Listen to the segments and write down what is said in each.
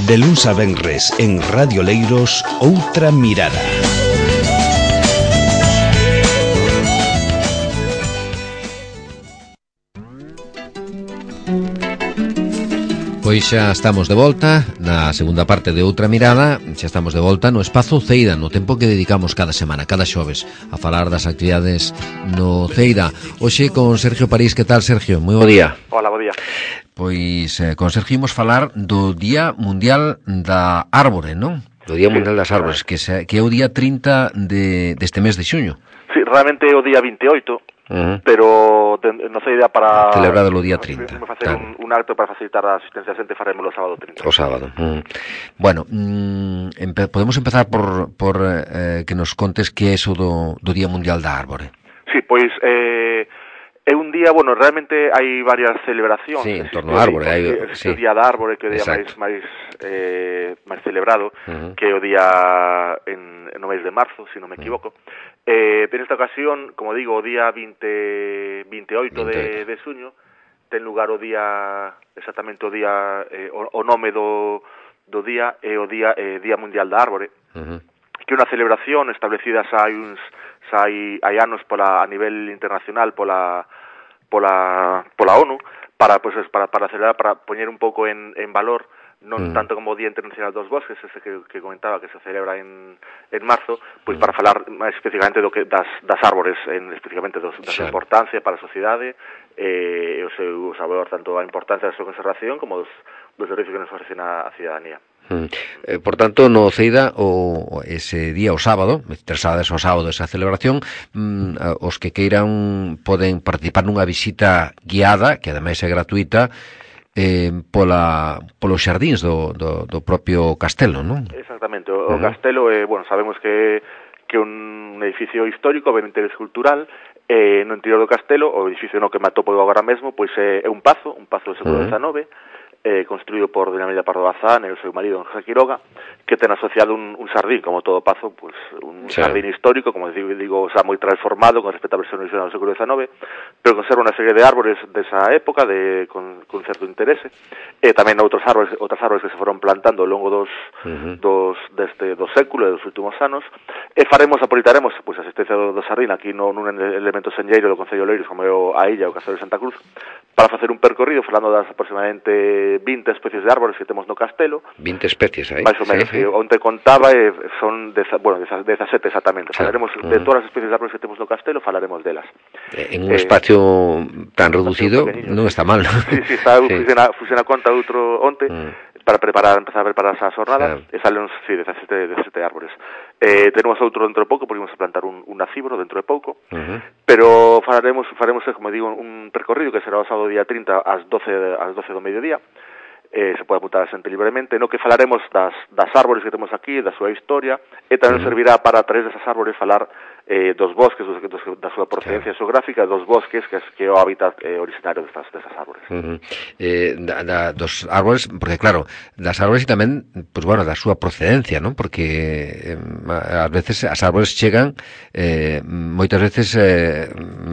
De luns a venres en Radio Leiros, Outra Mirada. Pois xa estamos de volta na segunda parte de Outra Mirada. Xa estamos de volta no Espazo Ceira, no tempo que dedicamos cada semana, cada xoves, a falar das actividades no Ceira. Hoxe con Sergio París. Que tal, Sergio? Moi bo día. Hola, bo día. Pois con Sergio imos falar do Día Mundial da Árbore, non? Do Día Mundial das Árbores, que é o día 30 deste mes de xuño. Sí, realmente é o día 28, pero non sei idea para... Celebrado o día 30. Vamos facer un acto para facilitar a asistencia a xente, faremos o sábado 30. O sábado. Bueno, podemos empezar por que nos contes que é eso do Día Mundial da Árbore. Sí, pois... é un día, bueno, realmente hai varias celebracións. Sí, en torno ao árbore. Sí. O día da árbore, que é o día máis celebrado, que é o día no mês de marzo, se non me equivoco. Pero nesta ocasión, como digo, o día 28 de xuño, ten lugar o día, exactamente o día, o nome do día é o Día Mundial da Árbore, que é unha celebración establecida hai anos a nivel internacional pola ONU para celebrar, para poñer un pouco en valor, non tanto como o Día Internacional dos Bosques, ese que comentaba que se celebra en marzo, pois para falar máis especificamente das árbores, especificamente da súa importancia para a sociedade, e o seu sabor, tanto a importancia da súa conservación como dos servicios que nos ofrecen a cidadanía. Por tanto, no Ceida, ese día, o sábado, interesades ao sábado esa celebración, os que queiran poden participar nunha visita guiada, que ademais é gratuita, polos xardíns do propio castelo, non? Exactamente, o castelo, bueno, sabemos que é un edificio histórico, ben interés cultural, no interior do castelo, o edificio no que me atopo agora mesmo, pois é un pazo do século XIX, construído por Doña Amelia Pardo Bazán e o seu marido José Quiroga, que ten asociado un xardín, como todo pazo, pues, un xardín histórico, como digo, xa moi transformado con respecto á versión original do século XIX, pero conserva unha serie de árbores desa época con certo interese, e tamén outras árbores que se foron plantando ao longo do século e dos últimos anos, e aproveitaremos a asistencia do xardín aquí nun elemento senlleiro do Concello de Oleiros, como é a illa, o Castelo de Santa Cruz, para facer un percorrido falando das aproximadamente 20 especies de árbores que temos no castelo. 20 especies aí. Mais ou menos, onde contaba son 17 exactamente. Falaremos de todas as especies de árbores que temos no castelo, falaremos delas. En un espacio tan reducido non está mal. Sí, funciona conta outro onte para empezar a preparar esa jornada, e salen 17 árbores. Tenemos outro dentro de pouco, porque vamos a plantar un nacibro dentro de pouco, pero faremos, como digo, un percorrido que será o sábado día 30 ás 12 do mediodía. Se pode apuntar a xente libremente, no que falaremos das árbores que temos aquí, da súa historia, e tamén servirá para, a través desas árbores, falar dos bosques, da súa procedencia xeográfica, dos bosques, que é o hábitat originario desas árbores. Dos árbores, porque claro, das árbores e tamén, pues bueno, da súa procedencia, non? Porque ás veces as árbores chegan moitas veces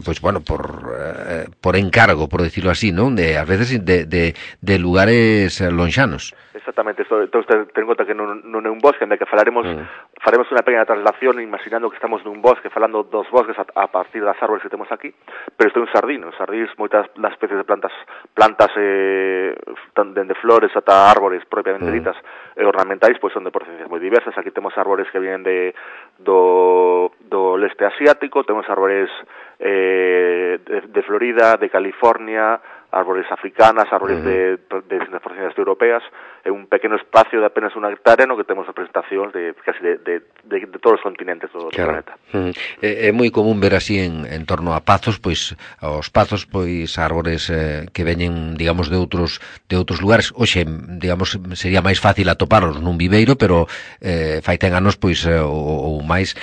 pues bueno, por encargo, por decirlo así, non? Ás veces de lugares lonxanos. Exactamente, entón ten en conta que non é un bosque, en que faremos unha pequena traslación imaginando que estamos nun bosque, falando dos bosques a partir das árbores que temos aquí, pero isto é un xardín. Os xardíns, moitas das especies de plantas dende flores ata árbores propiamente ditas e ornamentais, pois son de procedencias moi diversas. Aquí temos árbores que vienen do leste asiático, temos árbores de Florida, de California, árboles africanas, árboles de distintas procedencias europeas, é un pequeno espacio de apenas unha hectárea no que temos representacións de casi de todos os continentes do planeta. É moi común ver así en torno a pazos, pois aos pazos, pois árbores que veñen, digamos, de outros lugares. Hoxe, digamos, sería máis fácil atoparlos nun viveiro, pero fai 10 anos, pois ou máis,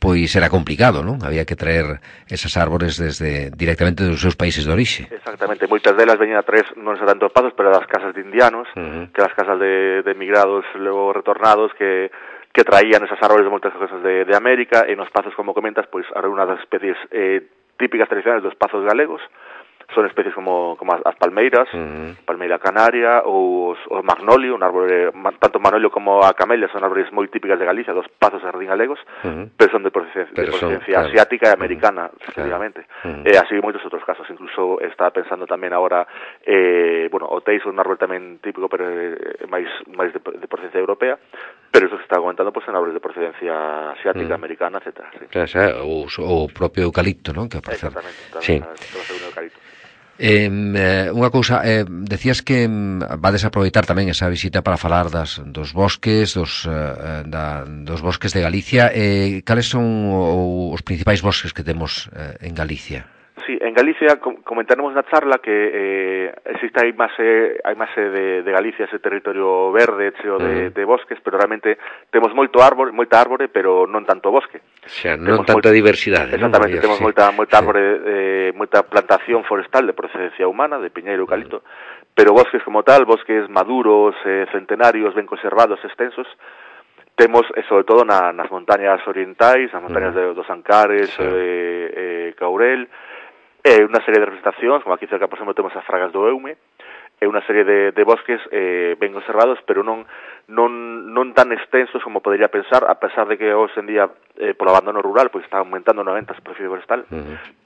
pois era complicado, non? Había que traer esas árbores directamente dos seus países de orixe. Exactamente, moitas delas veñen a traer non tanto pazos, pero das casas de indianos, que as casas de emigrados logo retornados que traían esas árboles de moitas cosas de América, e nos pazos, como comentas, pois unha das especies típicas tradicionales dos pazos galegos, son especies como as palmeiras, palmeira canaria ou o magnolio, un árbore, tanto o magnolio como a camelia son árbores moi típicas de Galicia, dos pazos de jardín galegos, pero son de procedencia asiática e americana, efectivamente. E así moitos outros casos, incluso está pensando tamén agora o teiso, un árbore tamén típico, pero máis de procedencia europea, pero eso se está comentando pues, en árboles de procedencia asiática, americana, etc. Sí. O propio eucalipto, non? Que exactamente, sí. Un eucalipto. Unha cousa, decías que vades aproveitar tamén esa visita para falar dos bosques, dos bosques de Galicia. Cales son os principais bosques que temos en Galicia? Sí, en Galicia comentaremos na charla que existe hai máis de Galicia ese territorio verde cheo de bosques, pero realmente temos moita árbore, pero non tanto bosque. O sea, non tanta diversidade. Exactamente, non? Temos moita árbore, moita plantación forestal de procedencia humana, de piñeiro e eucalipto, pero bosques como tal, bosques maduros, centenarios, ben conservados, extensos, temos, sobre todo, nas montañas orientais, nas montañas dos Ancares, Caurel, unha serie de representacións, como aquí cerca, por exemplo, temos as Fragas do Eume, unha serie de bosques ben conservados, pero non tan extensos como podería pensar, a pesar de que hoxe en día, polo abandono rural, pois está aumentando 90 a superficie forestal,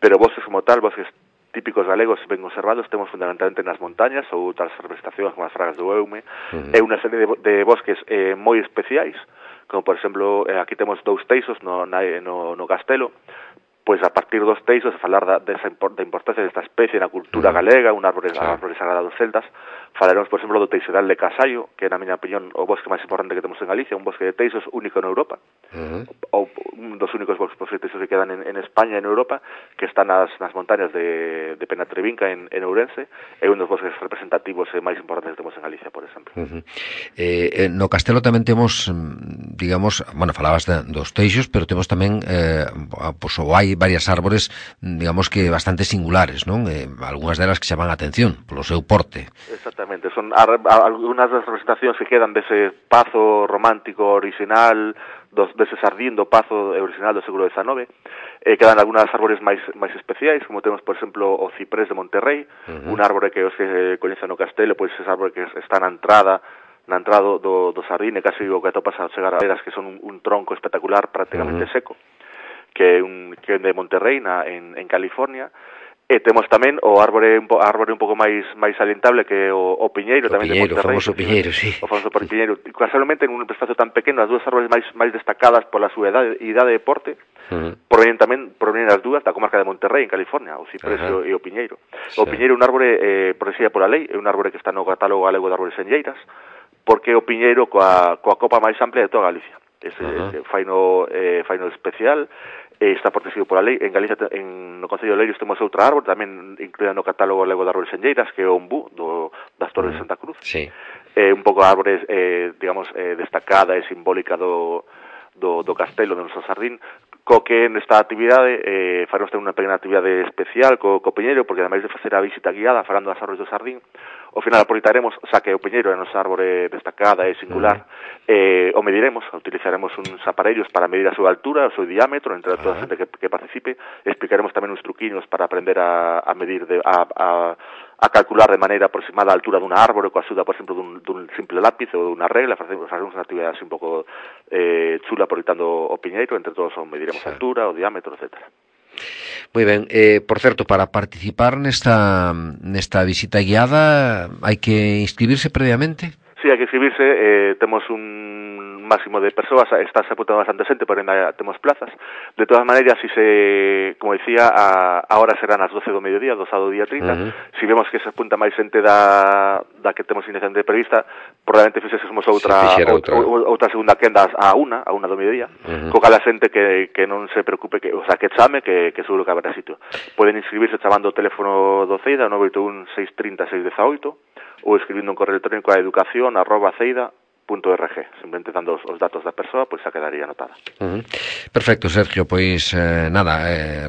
pero bosques como tal, bosques típicos galegos ben conservados, temos fundamentalmente nas montañas ou outras representacións como as Fragas do Eume, e unha serie de bosques moi especiais, como por exemplo, aquí temos 2 teisos no Castelo, pois a partir dos teisos, a falar da importancia desta especie na cultura galega, un árbore sagrado dos celtas, falaremos, por exemplo, do teixedal de Casallo, que, na miña opinión, o bosque máis importante que temos en Galicia, un bosque de teisos único en Europa, ou un dos únicos bosques de teisos que quedan en España e en Europa, que están nas montañas de Penatrevinca en Ourense, é un dos bosques representativos e máis importantes que temos en Galicia, por exemplo. No Castelo tamén temos, digamos, falabas dos teixos, pero temos tamén, hai varias árbores, digamos que bastante singulares, non? Algúnas delas que chaman a atención polo seu porte. Exactamente, son algunhas das representacións que quedan dese pazo romántico original, dese sardín do pazo original do século XIX, quedan algunhas árbores máis especiais, como temos, por exemplo, o ciprés de Monterrey, un árbore que os que coñecen no Castelo, pois ese árbore que está na entrada do sardín, e casi o que atopas a chegar a veras, que son un tronco espectacular, prácticamente seco, que é de Monterrey en California, e temos tamén o árbore un pouco máis salientable que o piñeiro, tamén de Monterrey. O famoso piñeiro, sí. O famoso piñeiro. Casualmente, en un espacio tan pequeno, as dúas árbores máis destacadas pola súa idade de porte, provenen as dúas da comarca de Monterrey, en California, o ciprés e o piñeiro. O piñeiro é un árbore protegido pola lei, é un árbore que está no catálogo galego de árbores senlleiras, porque é o piñeiro coa copa máis amplia de toda Galicia. Ese faino especial, está protegido pola lei. En Galicia, no Concello de Lerios, temos outra árbore, tamén incluída no catálogo galego de árbores senlleiras, que é o ombú das Torres de Santa Cruz. Sí. Un pouco a árbore, digamos, destacada e simbólica do Castelo, do noso sardín, co que nesta actividade faremos ter unha pequena actividade especial co piñeiro, porque ademais de facer a visita guiada falando das árbores do sardín, ao final aproveitaremos, xa que o piñeiro é a nosa árbore destacada e singular, o mediremos, utilizaremos uns aparellos para medir a súa altura, o seu diámetro, entre toda a xente que participe, explicaremos tamén uns truquiños para aprender a medir, a calcular de maneira aproximada a altura dunha árbore, coa axuda, por exemplo, dun simple lápiz ou dunha regla. Faremos unha actividade así un pouco chula aproveitando o piñeiro, entre todos o mediremos a altura, o diámetro, etcétera. Moi ben, por certo, para participar nesta visita guiada hai que inscribirse previamente? Sí, hai que inscribirse, temos un máximo de persoas, está se apuntando bastante xente, pero ainda temos plazas. De todas maneiras, como decía, a hora serán as 12 do mediodía, do sábado día 30. Si vemos que se apunta máis xente da que temos inicialmente prevista, probablemente fixésemos outra segunda quenda a una do mediodía, co cal a xente que non se preocupe, que chame, que seguro que haberá sitio. Poden inscribirse chamando o teléfono do CEIDA, 981 630 618, ou escribindo un correo electrónico a educación@ceida.org, simplemente dando os datos da persoa, pois xa quedaría anotada. Perfecto, Sergio, pois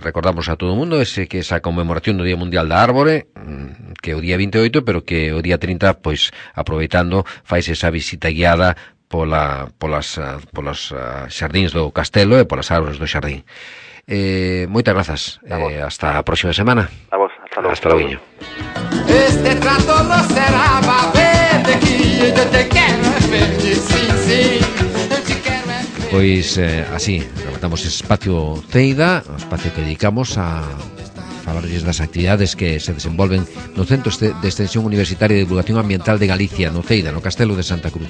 recordamos a todo o mundo que esa conmemoración do Día Mundial da Árbore, que é o día 28, pero que o día 30, pois aproveitando, faise esa visita guiada polas xardíns do Castelo e polas árbores do xardín. Moitas grazas, hasta a próxima semana. A vos. Hasta logo. Este trato no será de que yo te quero ver, sí. Pois así, rematamos ese espacio Teida, o espacio que dedicamos a falarles das actividades que se desenvolven no Centro de Extensión Universitaria de Divulgación Ambiental de Galicia, no Teida, no Castelo de Santa Cruz.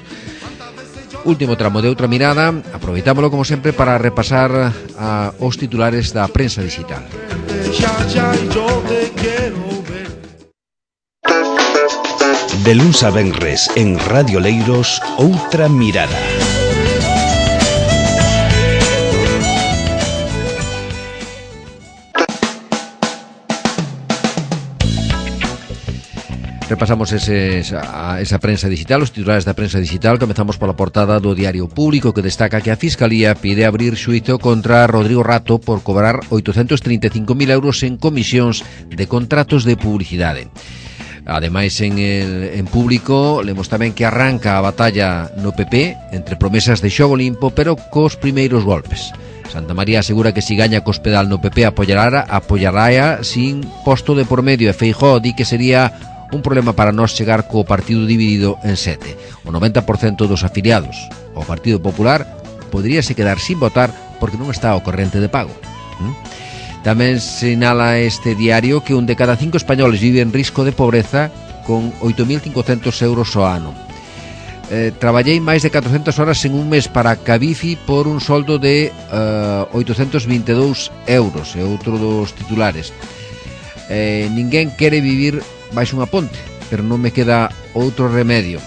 Último tramo de Outra Mirada, aproveitámolo como sempre para repasar os titulares da prensa digital. De luns a venres en Radio Leiros, Outra Mirada. Repasamos esa prensa digital, os titulares da prensa digital. Comezamos pola portada do Diario Público, que destaca que a Fiscalía pide abrir xuízo contra Rodrigo Rato por cobrar 835.000 euros en comisións de contratos de publicidade. Ademais, en Público lemos tamén que arranca a batalla no PP entre promesas de xogo limpo, pero cos primeiros golpes. Santa María asegura que si gaña Cospedal no PP apoyará sin posto de por medio, e Feijóo di que sería un problema para nós chegar co partido dividido en 7. O 90% dos afiliados ao Partido Popular poderíase quedar sin votar porque non está ao corrente de pago. Tamén sinala este diario que un de cada 5 españoles vive en risco de pobreza con 8.500 euros ao ano. Traballei máis de 400 horas en un mes para Cabifi por un soldo de 822 euros, é outro dos titulares. Ninguén quere vivir baixo unha ponte, pero non me queda outro remedio.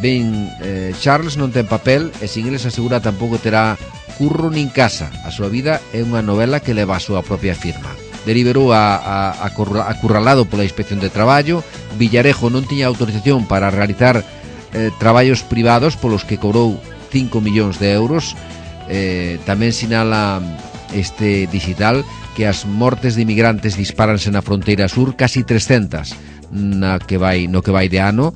Ben, Charles non ten papel e sin eles asegura tampouco terá curro nin casa. A súa vida é unha novela que leva a súa propia firma. Deliberou acurralado pola Inspección de Traballo. Villarejo non tiña autorización para realizar traballos privados polos que cobrou 5 millóns de euros. Tamén sinala este digital que as mortes de inmigrantes dispáranse na fronteira sur, casi 300 no que vai de ano,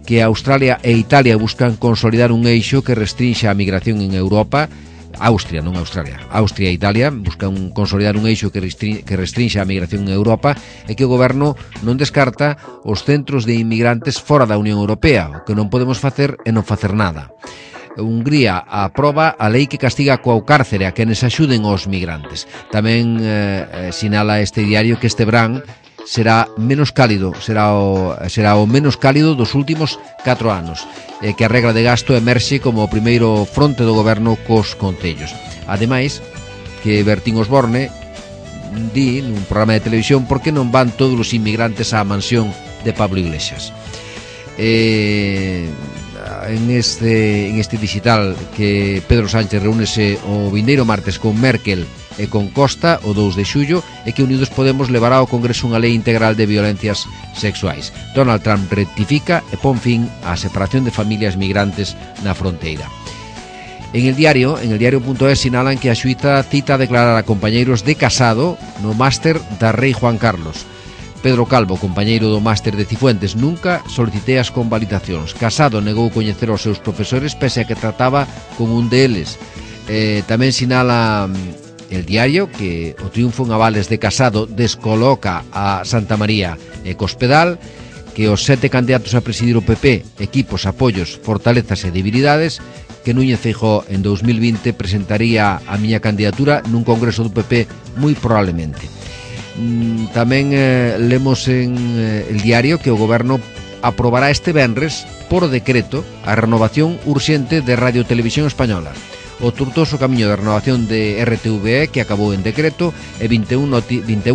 que Australia e Italia buscan consolidar un eixo que restrinxa a migración en Europa. Austria, non Australia, Austria e Italia buscan consolidar un eixo que restrinxa a migración en Europa, e que o goberno non descarta os centros de inmigrantes fora da Unión Europea. O que non podemos facer é non facer nada. Hungría aproba a lei que castiga coa cárcere a quenes axuden aos migrantes. Tamén sinala este diario que este verán será menos cálido, será o menos cálido dos últimos 4 anos, e que a regra de gasto emerxe como o primeiro fronte do goberno cos concellos. Ademais, que Bertín Osborne di nun programa de televisión por que non van todos os inmigrantes á mansión de Pablo Iglesias. En este digital que Pedro Sánchez reúnese o vindeiro martes con Merkel e con Costa o 2 de xullo, e que Unidos Podemos levará ao Congreso unha lei integral de violencias sexuais. Donald Trump rectifica e pon fin á separación de familias migrantes na fronteira. En el diario.es sinalan que a xuíza cita a declarar a compañeiros de Casado no máster da Rei Juan Carlos. Pedro Calvo, compañeiro do máster de Cifuentes: nunca solicitei as convalidacións. Casado negou coñecer aos seus profesores pese a que trataba con un deles. Tamén sinala el diario que o triunfo en avales de Casado descoloca a Santa María e Cospedal, que os 7 candidatos a presidir o PP, equipos, apoios, fortalezas e debilidades, que Núñez Feijóo en 2020 presentaría a miña candidatura nun congreso do PP moi probablemente. Tamén lemos en el diario que o goberno aprobará este venres por decreto a renovación urxente de Radio Televisión Española. O tortuoso camiño de renovación de RTVE, que acabou en decreto, e 21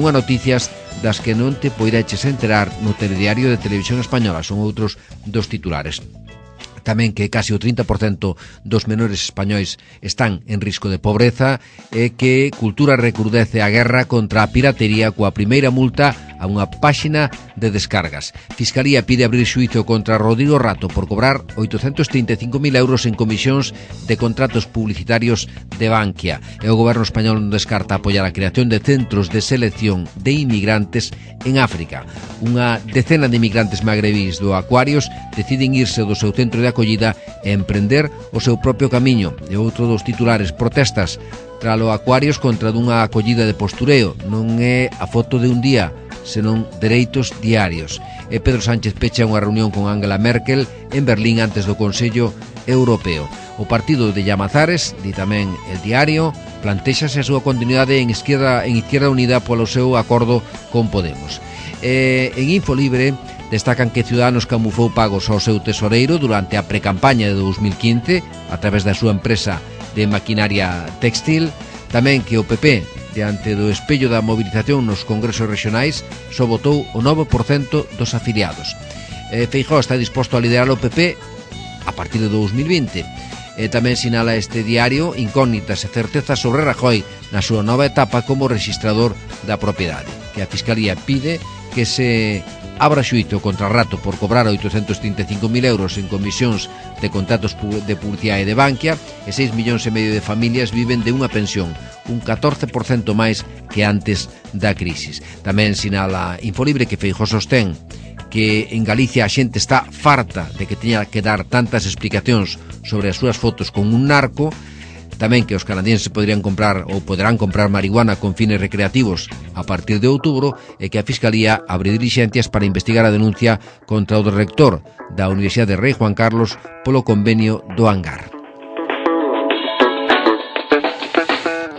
noticias das que non te poideches enterar no telediario de Televisión Española. Son outros dos titulares. Tamén que casi o 30% dos menores españois están en risco de pobreza, e que Cultura recrudece a guerra contra a piratería coa primeira multa a unha páxina de descargas. Fiscalía pide abrir xuízo contra Rodrigo Rato por cobrar 835.000 euros en comisións de contratos publicitarios de Bankia. E o goberno español non descarta apoiar a creación de centros de selección de inmigrantes en África. Unha decena de inmigrantes magrebís do Aquarius deciden irse do seu centro de acollida e emprender o seu propio camiño. E outro dos titulares: protestas tralo Aquarius contra dunha acollida de postureo. Non é a foto de un día, senón dereitos diarios. E Pedro Sánchez pecha unha reunión con Angela Merkel en Berlín antes do Consello Europeo. O partido de Llamazares, di tamén El Diario, plantéxase a súa continuidade en Izquierda Unida polo seu acordo con Podemos. En Infolibre destacan que Ciudadanos camufou pagos ao seu tesoreiro durante a precampaña de 2015 a través da súa empresa de maquinaria textil. Tamén que o PP, diante do espello da movilización nos congresos regionais, só votou o 9% dos afiliados. Feijóo está disposto a liderar o PP a partir de 2020. Tamén sinala este diario incógnitas e certezas sobre Rajoy na súa nova etapa como registrador da propiedade, que a Fiscalía pide que se abra xuízo contra Rato por cobrar 835.000 euros en comisións de contratos de publicidade de Bankia e 6,5 millóns de familias viven de unha pensión, un 14% máis que antes da crisis. Tamén sinala Infolibre que Feijóo sostén que en Galicia a xente está farta de que teña que dar tantas explicacións sobre as súas fotos con un narco. Tamén que os canadienses poderán comprar marihuana con fines recreativos a partir de outubro e que a Fiscalía abre dilixencias para investigar a denuncia contra o rector da Universidade Rei Juan Carlos polo convenio do Hangar.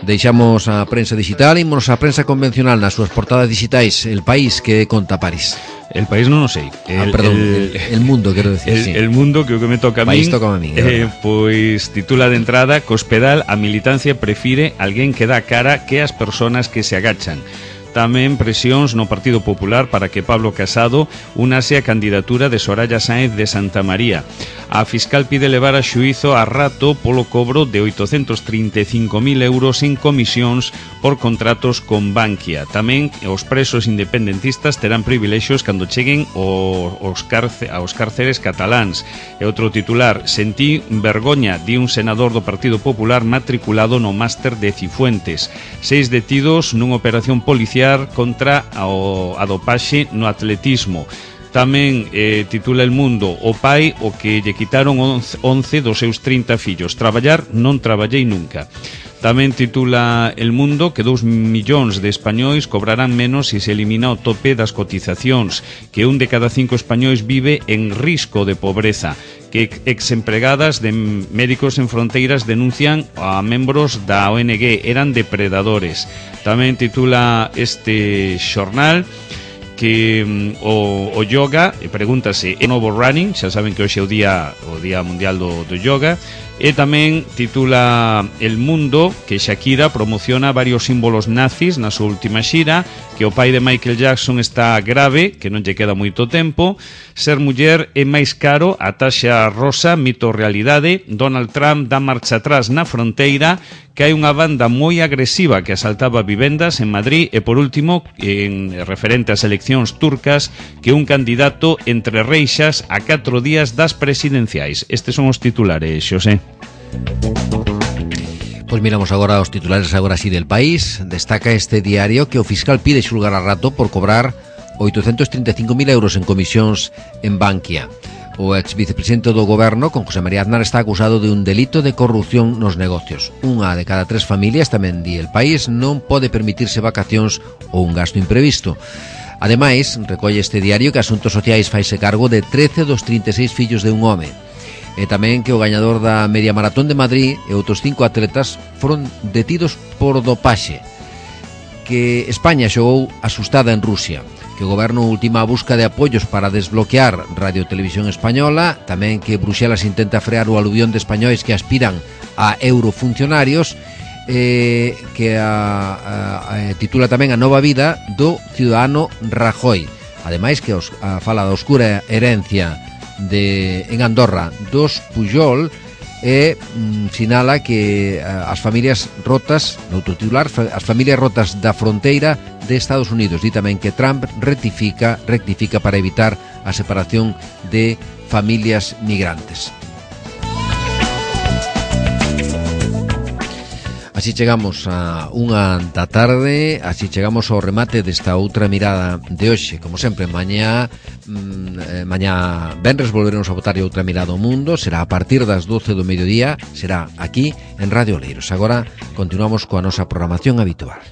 Deixamos a prensa digital e imos a prensa convencional nas súas portadas digitais. El País, que conta París? El País non o sei. El Mundo, quero decir. El Mundo, que o que me toca a min. Pois titula de entrada: Cospedal, a militancia prefire alguén que dá cara que as persoas que se agachan. Tamén presións no Partido Popular para que Pablo Casado unase a candidatura de Soraya Sáenz de Santa María. A fiscal pide levar a xuízo a Rato polo cobro de 835.000 euros en comisións por contratos con Bankia. Tamén os presos independentistas terán privilexios cando cheguen aos cárceres cataláns. E outro titular: sentí vergoña, di un senador do Partido Popular matriculado no máster de Cifuentes. 6 detidos nunha operación policial contra a dopaxe no atletismo. Tamén titula El Mundo: o pai o que lle quitaron 11 dos seus 30 fillos. Traballar non traballei nunca. Tamén titula El Mundo que 2 millóns de españois cobrarán menos se se elimina o tope das cotizacións, que 1 de cada 5 españois vive en risco de pobreza, que exempregadas de Médicos Sen Fronteiras denuncian a membros da ONG eran depredadores. Tamén titula este xornal que o yoga, e pregúntase, é novo running, xa saben que hoxe é o día mundial do yoga. E tamén titula El Mundo que Shakira promociona varios símbolos nazis na súa última xira, que o pai de Michael Jackson está grave, que non lle queda moito tempo, ser muller é máis caro, a taxa rosa, mito ou realidade, Donald Trump dá marcha atrás na fronteira, que hai unha banda moi agresiva que asaltaba vivendas en Madrid, e por último, en referente ás eleccións turcas, que un candidato entre reixas a 4 días das presidenciais. Estes son os titulares, Xosé. Pois miramos agora os titulares agora así del País. Destaca este diario que o fiscal pide xulgar a Rato por cobrar 835.000 euros en comisións en Bankia. O ex vicepresidente do goberno, con José María Aznar, está acusado de un delito de corrupción nos negocios. Unha de cada 3 familias, tamén di El País, non pode permitirse vacacións ou un gasto imprevisto. Ademais, recolle este diario que Asuntos Sociais faise cargo de 13 dos 36 fillos de un home. E tamén que o gañador da Media Maratón de Madrid e outros 5 atletas foron detidos por dopaxe. Que España xogou asustada en Rusia. Que o goberno ultima a busca de apoios para desbloquear Radio Televisión Española. Tamén que Bruxelas intenta frear o aluvión de españois que aspiran a eurofuncionarios. Que titula tamén a nova vida do ciudadano Rajoy. Ademais que fala da oscura herencia en Andorra dos Pujol e sinala que as familias rotas, no outro titular, as familias rotas da fronteira de Estados Unidos. Di tamén que Trump rectifica para evitar a separación de familias migrantes. Así chegamos a unha da tarde, así chegamos ao remate desta outra mirada de hoxe. Como sempre, mañá venres volveremos a botar outra mirada ao mundo. Será a partir das 12 do mediodía, será aquí en Radio Oleiros. Agora continuamos coa nosa programación habitual.